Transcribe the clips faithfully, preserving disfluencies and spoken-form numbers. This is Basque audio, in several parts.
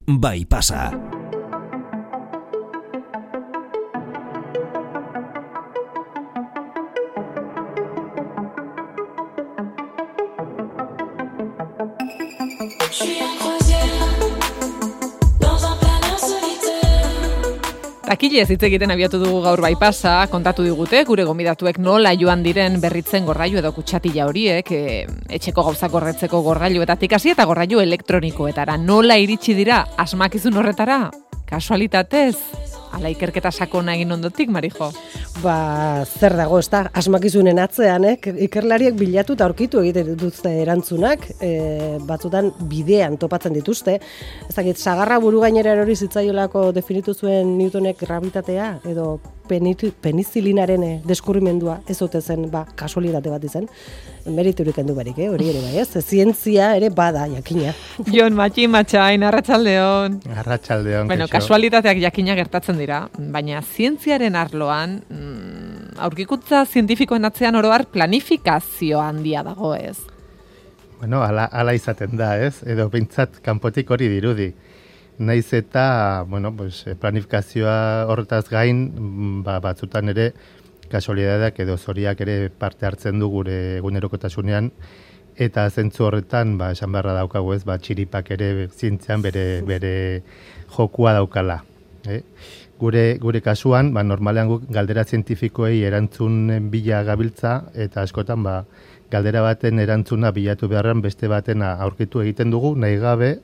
bai pasa. Takilez hitz egiten abiatu dugu gaur bai pasa, kontatu digute gure gonbidatuek nola joan diren berritzen gorrailu edo kutsatila horiek, e, etxeko gauzak gorretzeko gorrailuetatik hasi eta gorrailu elektronikoetara. Nola iritsi dira asmakizun horretara? Kasualitatez? Ala ikerketa sakona egin ondotik, Marijo? Ba, zer dago, ez da, asmakizunen atzean, eh? Ikerlariek bilatu eta aurkitu egiten dituzte erantzunak, e, batzutan bidean topatzen dituzte. Ez dakit, sagarra buru gainera erori zitzaiolako definitu zuen Newtonek gravitatea, edo penizilinaren deskurrimendua ez ote zen, ba, kasualitate bat izan. Meriturik kendu barik, eh? Hori ere bai, ez? Zientzia ere bada, jakina. Jon Matxi Matxain, arratsaldeon. Arratsaldeon. Bueno, kasualitateak jakina gertatzen dira, baina zientziaren arloan, mm, aurkikuntza zientifikoen atzean oro har planifikazio handia dago, ez? Bueno, ala, ala izaten da, ez? Edo behintzat kanpotik hori dirudi. Naiz eta, bueno, pues, planifikazioa horretaz gain, ba, batzutan ere, kasualitateak edo zoriak ere parte hartzen du gure egunerokotasunean, eta zentzu horretan, ba, esan beharra daukagu ez, ba, txiripak ere zientzian bere, bere jokua daukala. Eh? Gure, gure kasuan, ba, normalean guk galdera zientifikoei erantzun bila gabiltza, eta askotan, ba, galdera baten erantzuna bilatu beharran beste baten aurkitu egiten dugu, nahi gabe,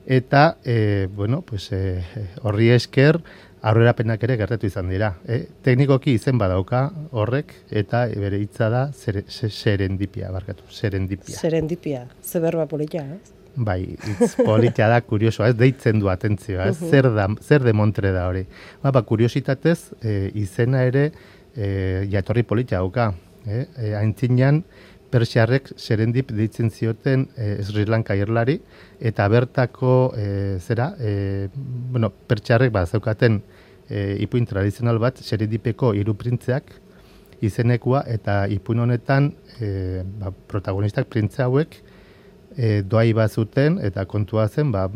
eta, e, bueno, pues, e, horri esker, aurrerapenak ere gertatu izan dira. E, teknikoki izen badauka horrek, eta bere hitza da zer, serendipia, barkatu, serendipia. Serendipia, ze berba politia, ez? Bai, hitz politia da, kuriosoa, ez deitzen du atentzioa, ez? Zer, da, zer demontre da hori. Ba, ba kuriositatez, e, izena ere e, jatorri politia dauka. E, e, Aintzinean, persiarrek serendip deitzen zioten e, Sri Lanka irlari, eta bertako e, zera, e, bueno, pertsiarrek ba, zeukaten e, ipuin tradizional bat, serendipeko hiru printzeak izenekua, eta ipuin honetan e, ba, protagonistak printze hauek e, doai bat zuten, eta kontua zen, ba,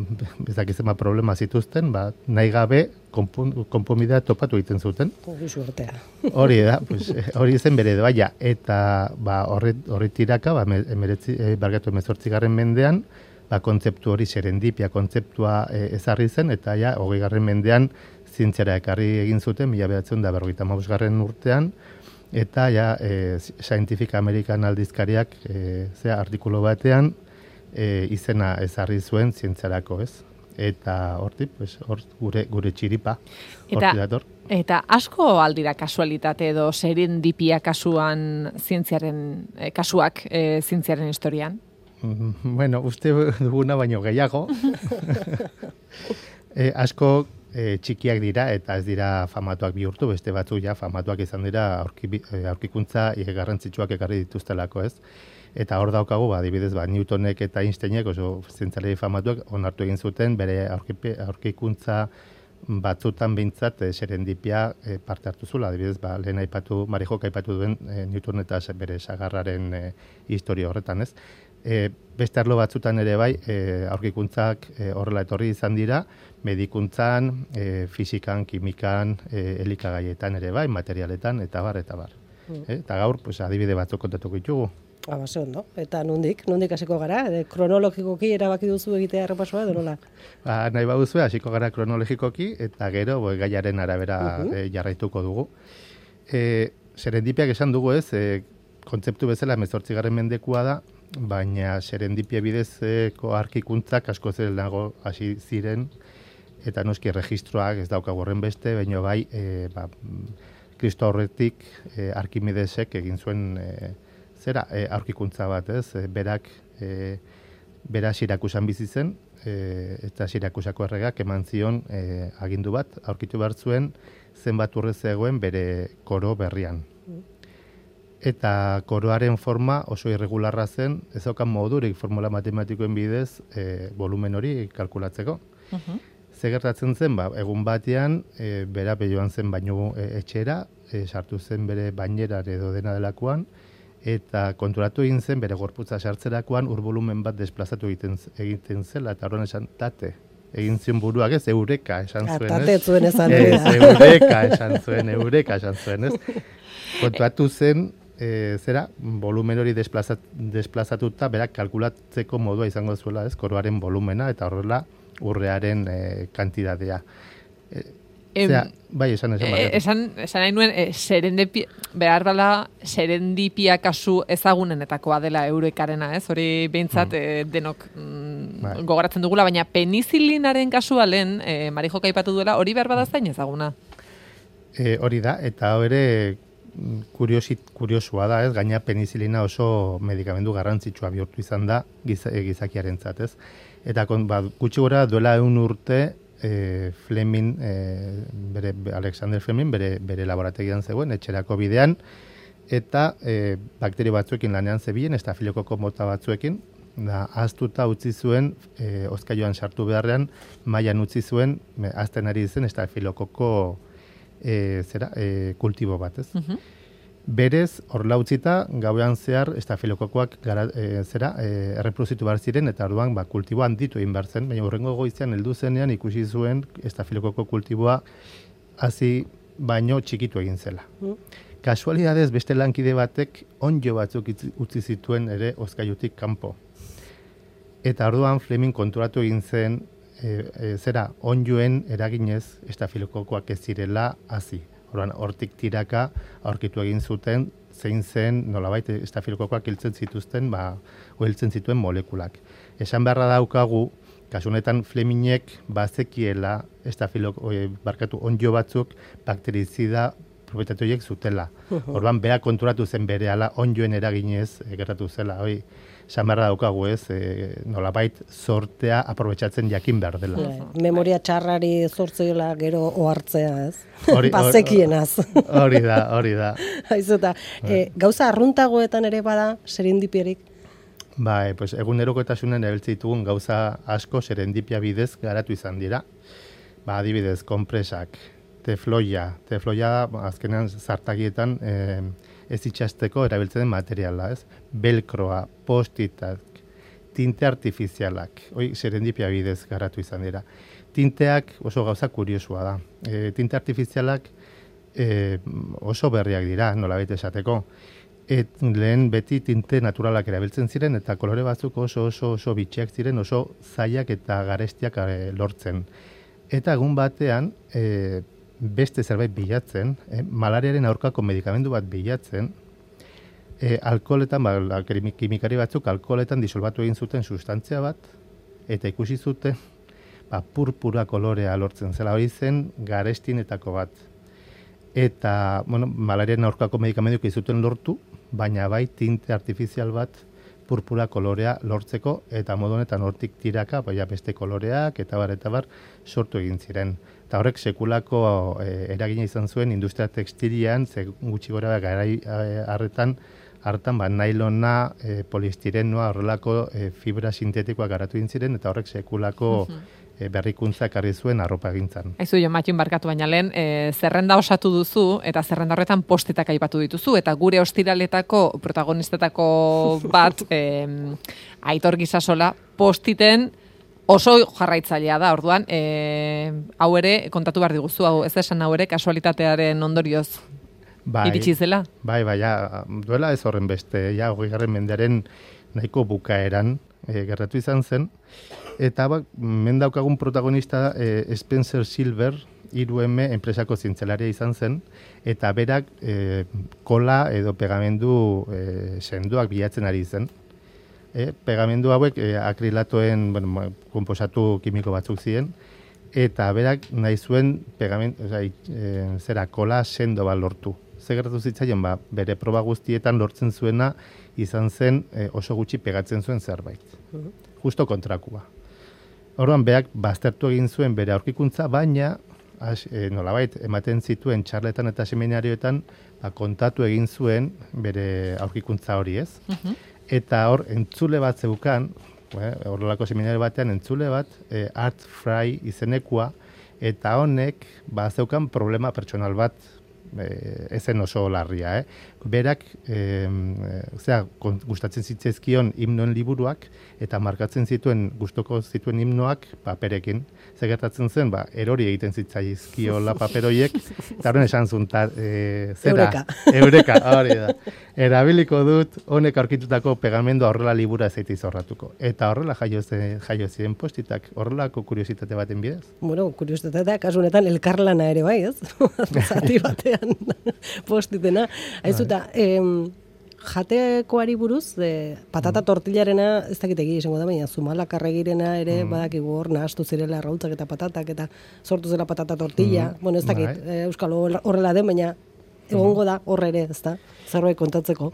ezakizema problema zituzten, ba, nahi gabe konponbidea topatu egiten zuten. Hori suertea. Hori da, pues, hori zen bere doaia, eta ba, horri, horri tiraka, ba, emeretzi, e, bargatu emezortzigarren mendean, ba, kontzeptu hori serendipia kontzeptua e, ezarri zen, eta ja, hogei garren mendean zientziara ekarri egin zuten, mila behatzen da berrogeita hamabosgarren urtean, eta ja, e, Scientific American aldizkariak e, zera, artikulu batean e, izena ezarri zuen zientziarako, ez? Eta horti, pues, hor gure, gure txiripa, horti dator. Eta asko aldira kasualitate edo serendipia kasuan zientziaren, eh, kasuak eh, zientziaren historian? Bueno, uste duguna baino gehiago. e, asko e, txikiak dira eta ez dira famatuak bihurtu, beste batzu ja famatuak izan dira aurki, aurkikuntza garrantzitsuak ekarri dituztelako, ez? Eta hor daukagu, ba, adibidez, ba, Newtonek eta Einsteinek oso zientzialari famatuak onartu egin zuten bere aurkipe, aurkikuntza batzutan behintzat e, serendipia e, parte hartu zula. Adibidez, ba, lehen aipatu, Marijok aipatu duen e, Newton eta bere sagarraren e, historia horretan, ez? E, beste arlo batzutan ere bai, e, aurkikuntzak e, horrela etorri izan dira, medikuntzan, e, fisikan, kimikan, e, elikagaietan ere bai, materialetan, eta bar, eta bar. Mm. E, eta gaur, pues, adibide batzuk kontatuko ditugu. Aba, ze ondo. Eta nondik, nondik hasiko gara? E, kronologikoki erabaki duzu egitea errepasoa edo nola? Ba, nahi baduzu, hasiko gara kronologikoki, eta gero bo, gaiaren arabera uh-huh. e, jarraituko dugu. E, serendipiak esan dugu ez, e, kontzeptu bezala hemezortzigarren mendekua da, baina serendipia bidezko arkikuntzak asko zelenago hasi ziren, eta noski registroak ez daukagu horren beste, baina bai, e, ba, Kristo aurretik e, Arkimedesek egin zuen e, zera, e, aurkikuntza bat, ez? E, berak, e, bera Sirakusan bizi zen, e, eta Sirakusako erregak eman zion e, agindu bat, aurkitu behar zuen zenbat urre zegoen bere koro berrian. Eta koroaren forma oso irregularra zen, ez daukan modurik formula matematikoen bidez e, volumen hori kalkulatzeko. Uh-huh. Ze gertatzen zen, ba, egun batean, e, bera joan zen baino e, etxera, e, sartu zen bere bainerar edo dena delakoan, eta konturatu egin zen bere gorputza sartzerakoan ur volumen bat desplazatu egiten, egiten zela, eta horren esan tate. egin zion buruak ez, eureka esan zuen, ez? Atate zuen esan ez, eureka esan zuen, eureka esan zuen, ez? Kontuatu zen, e, zera, volumen hori desplazat, desplazatuta, berak kalkulatzeko modua izango zuela, ez? Koroaren volumena, eta horrela urrearen e, kantidadea. E, Zera, bai, esan esan. E, esan, esan nahi nuen, e, serendipi, behar bala, serendipia kasu ezagunenetakoa dela eurekarena, ez? Hori behintzat mm. e, denok mm, bai. gogoratzen dugula, baina penizilinaren kasua lehen, e, Marijok aipatu duela, hori behar bada zain ezaguna? E, hori da, eta hori kuriosit, kuriosua da, ez? Gaina penizilina oso medikamendu garrantzitsua bihurtu izan da giz, e, gizakiarentzat, ez? Eta kon, ba, gutxi gora duela egun urte, E, Fleming, e, bere, Alexander Fleming, bere, bere laborategian zegoen, etxerako bidean, eta e, bakterio batzuekin lanean zebilen, estafilokoko mota batzuekin, da, aztuta utzi zuen, e, ozkailuan sartu beharrean, mailan utzi zuen, me, azten ari zen, estafilokoko e, zera, e, kultibo bat, ez? Uh-huh. Berez, horla utzita, gauean zehar, estafilokokoak gara, e, zera, e, erreproduzitu behar ziren, eta orduan, ba, kultiboa handitu egin behar zen, baina hurrengo goizean heldu zenean ikusi zuen estafilokoko kultiboa hasi baino txikitu egin zela. Mm. Kasualidadez, beste lankide batek onjo batzuk utzi zituen ere ozkailutik kanpo. Eta orduan Fleming konturatu egin zen, e, e, zera, onjoen eraginez estafilokokoak ez zirela hasi. Orduan, hortik tiraka aurkitu egin zuten, zein zen, nolabait, estafilokokoak hiltzen zituzten, ba, hiltzen zituen molekulak. Esan beharra daukagu, kasunetan Flemingek bazekiela estafiloko, e, barkatu, onjo batzuk bakterizida propietateoiek zutela. Orduan, beha konturatu zen berehala onjoen eraginez e, gertatu zela. Hoi, esan beharra daukagu ez, e, nolabait sortea aprobetxatzen jakin behar dela. Yeah. Memoria txarrari zortzeola gero ohartzea, ez? Hori, bazekienaz. Hori da, hori da. Haizuta, e, gauza arruntagoetan ere bada serendipierik? Bai, pues, egunerokotasunen erabiltzen ditugun gauza asko serendipia bidez garatu izan dira. Ba, adibidez, konpresak, tefloia, tefloia azkenean zartagietan e, ez itxasteko erabiltzen den materiala, ez? Belkroa, postitak, tinte artifizialak, hoi serendipia bidez garatu izan dira. Tinteak oso gauza kuriosua da. E, tinte artifizialak e, oso berriak dira, nolabait esateko. Et, lehen beti tinte naturalak erabiltzen ziren, eta kolore batzuk oso oso oso bitxiak ziren, oso zailak eta garestiak e, lortzen. Eta egun batean, e, beste zerbait bilatzen, eh, malariaren aurkako medikamendu bat bilatzen, eh, alkoholetan, ba, kimikari batzuk alkoholetan disolbatu egin zuten sustantzia bat, eta ikusi zuten, ba, purpura kolorea lortzen zela, hori zen garestinetako bat. Eta, bueno, malariaren aurkako medikamenduk izuten lortu, baina bai tinte artifizial bat purpura kolorea lortzeko, eta modu honetan hortik tiraka, baina beste koloreak, eta bar, eta bar, sortu egin ziren. Eta horrek sekulako e, eragina izan zuen industria tekstilian, ze gutxi gora garai harretan, hartan ba, nailona, e, poliestirenoa, horrelako e, fibra sintetikoa garatu egin ziren, eta horrek sekulako e, berrikuntza ekarri zuen arropa gintzan. Aizu jo, Matxin barkatu baina lehen, e, zerrenda osatu duzu, eta zerrenda horretan postetak aipatu dituzu, eta gure ostiraletako protagonistetako bat, e, Aitor Gisasola, postiten oso jarraitzailea da, orduan, e, hau ere, kontatu behar diguzu, hau ez esan hau ere, kasualitatearen ondorioz bai, iritsi zela? Bai, bai, ja, duela ez horren beste, ja, hogei garren mendearen nahiko bukaeran e, gertatu izan zen, eta bak, mendaukagun protagonista e, Spencer Silver, hiru eme enpresako zintzelaria izan zen, eta berak e, kola edo pegamendu e, senduak bilatzen ari zen. E, pegamendu hauek e, akrilatoen bueno, konposatu kimiko batzuk ziren, eta berak nahi zuen pegamendu, oza, e, zera, kola sendo bat lortu. Zer gertatu zitzaion, ba, bere proba guztietan lortzen zuena izan zen e, oso gutxi pegatzen zuen zerbait. Justo kontrakua. Orduan, berak baztertu egin zuen bere aurkikuntza, baina as, e, nolabait, ematen zituen txarletan eta seminarioetan ba, kontatu egin zuen bere aurkikuntza hori, ez? Uh-huh. Eta hor, entzule bat zeukan, horrelako seminario batean entzule bat, e, Art Fry izenekua, eta honek, ba, zeukan problema pertsonal bat, e, ezen oso larria, eh? berak e, zera, gustatzen zitzaizkion himnoen liburuak eta markatzen zituen gustoko zituen himnoak paperekin. Zer gertatzen zen, ba, erori egiten zitzaizkiola paperoiek, eta horren esan zuen, ta, e, zera, Eureka. Eureka, hori da. Erabiliko dut, honek aurkitutako pegamendua horrela libura zeite izorratuko. Eta horrela jaio, ze, jaio ziren postitak, horrelako kuriositate baten bidez. Bueno, kuriositatea, kasu honetan elkarlana ere bai, ez? Zati batean postitena. Aizuta, em, jatekoari buruz, de, patata tortillarena, ez dakit egi izango da, baina zumalakarregirena ere mm. badakigu hor nahastu zirela arrautzak eta patatak eta sortu zela patata tortilla. Mm. Bueno, ez dakit, Bai. e, Euskal horrela den, baina egongo da hor ere, ez da? Zerbait kontatzeko.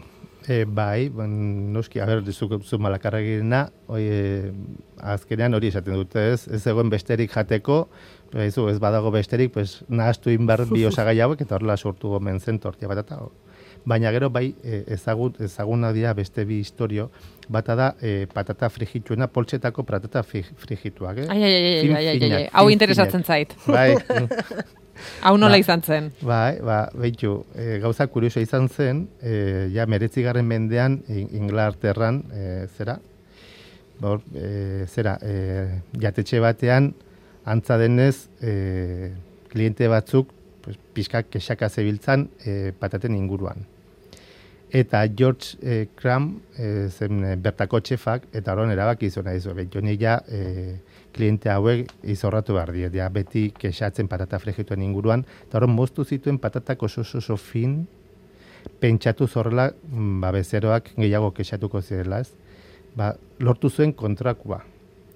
E, bai, ben, noski, a ber, zumalakarregirena, e, azkenean hori esaten dute ez, ez egoen besterik jateko, ez, ez badago besterik, pues, nahastu inbar bi osagai hauek, eta horrela sortu gomen zen tortilla patata. Baina gero bai ezagun, ezaguna dira beste bi historio, bata da e, patata frigituena, poltsetako patata frigituak. Eh? Ai, ai, ai, ai, ai, ai, ai, hau interesatzen zait. Bai. Hau nola ba, izan zen? Bai, ba, behitu, e, gauza kurioso izan zen, e, ja meretzigarren mendean Inglaterran, e, zera, bor, e, zera, e, jatetxe batean, antza denez, e, kliente batzuk, pues, pixkak kexaka zebiltzan e, pataten inguruan. Eta George eh, Cram eh, zen eh, bertako txefak, eta horren erabaki izona izo. Joni ja eh, kliente hauek izorratu behar diet, ja, beti kexatzen patata frigituen inguruan, eta horren moztu zituen patatak oso oso fin, pentsatu zorrela, ba, bezeroak gehiago kexatuko zirela, ez? Ba, lortu zuen kontrakua.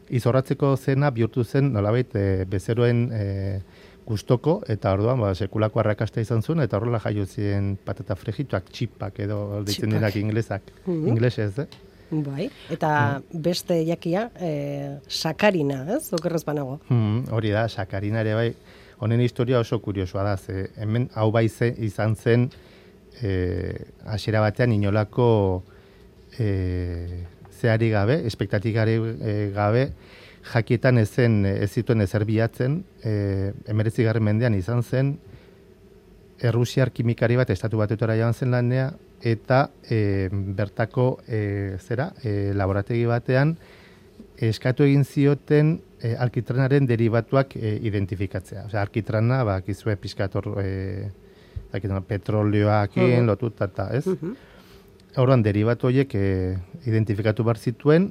Izorratzeko zena bihurtu zen, nolabait, eh, bezeroen eh, gustoko, eta orduan ba, sekulako arrakasta izan zuen, eta horrela jaio ziren patata frigituak, txipak edo ditzen denak inglesak. Mm-hmm. Inglesez, eh? Bai, eta mm. beste jakia, eh, sakarina, ez? Okerrez banago. Mm, hori da, sakarina ere bai. Honen historia oso kuriosoa da, ze hemen hau bai ze, izan zen eh, hasiera batean inolako eh, zeari gabe, espektatikari eh, gabe, jakietan ezen ez zituen ezer bilatzen, e, emeretzigarren mendean izan zen, errusiar kimikari bat estatu batetara joan zen lanea, eta e, bertako e, zera, e, laborategi batean eskatu egin zioten e, alkitranaren derivatuak e, identifikatzea. Osea, alkitrana, ba, kizue pizkator e, petrolioakin uh-huh. lotuta, eta ez? Uh-huh. Horren derivatu horiek e, identifikatu behar zituen,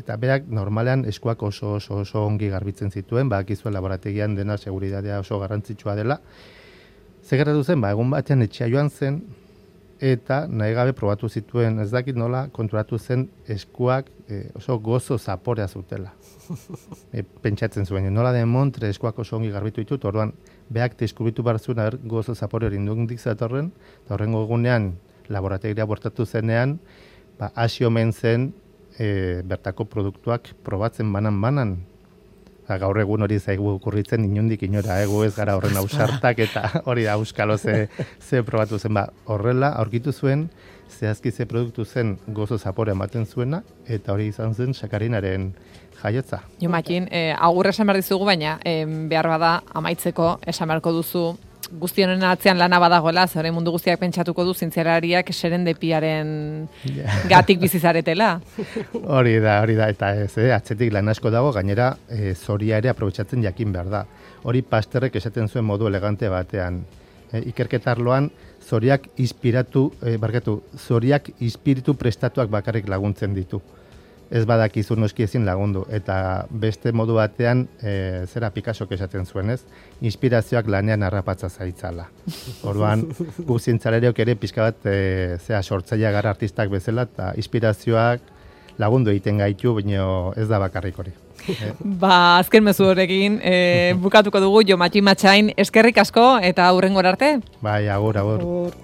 eta berak normalean eskuak oso oso oso ongi garbitzen zituen, bakizuen laborategian dena seguridadea oso garrantzitsua dela. Zer gertatu zen, ba, egun batean etxea joan zen, eta nahi gabe probatu zituen, ez dakit nola, konturatu zen eskuak e, oso gozo zaporea zutela. E, pentsatzen zuen, nola den montre eskuak oso ongi garbitu ditut, orduan, beak deskubritu behar zuen, aber, gozo zapore hori indundik zatorren, eta horrengo egunean, laborategia bortatu zenean, ba, hasi omen zen, E, bertako produktuak probatzen banan-banan. Gaur egun hori zaigu kurritzen inundik inora, egu ez gara horren ausartak, eta hori da auskalo ze, ze probatu zen. Ba, horrela aurkitu zuen, zehazki ze produktu zen gozo zapore ematen zuena, eta hori izan zen sakarinaren jaiotza. Jo, Makin, eh, agur esan behar dizugu, baina eh, behar bada amaitzeko esan beharko duzu guztionen atzean lana badagoela, zore mundu guztiak pentsatuko du zientzialariak serendepiaren yeah. gatik bizizaretela. Hori da, hori da, eta ez, eh, atzetik lan asko dago, gainera e, zoria ere aprobetxatzen jakin behar da. Hori Pasterrek esaten zuen modu elegante batean. E, ikerketarloan zoriak inspiratu, e, barkatu, zoriak inspiritu prestatuak bakarrik laguntzen ditu. Ez badakizu noski ezin lagundu, eta beste modu batean, e, zera Picassok esaten zuen, ez? Inspirazioak lanean harrapatza zaitzala. Orduan, gu zientzalariok ere pixka bat, e, zera sortzaile gara artistak bezala, eta inspirazioak lagundu egiten gaitu, baina ez da bakarrik hori. E. Ba, azken mezu horrekin, e, bukatuko dugu, Jo Matxin Matxain, eskerrik asko, eta hurrengora arte? Bai, agur, agur. agur.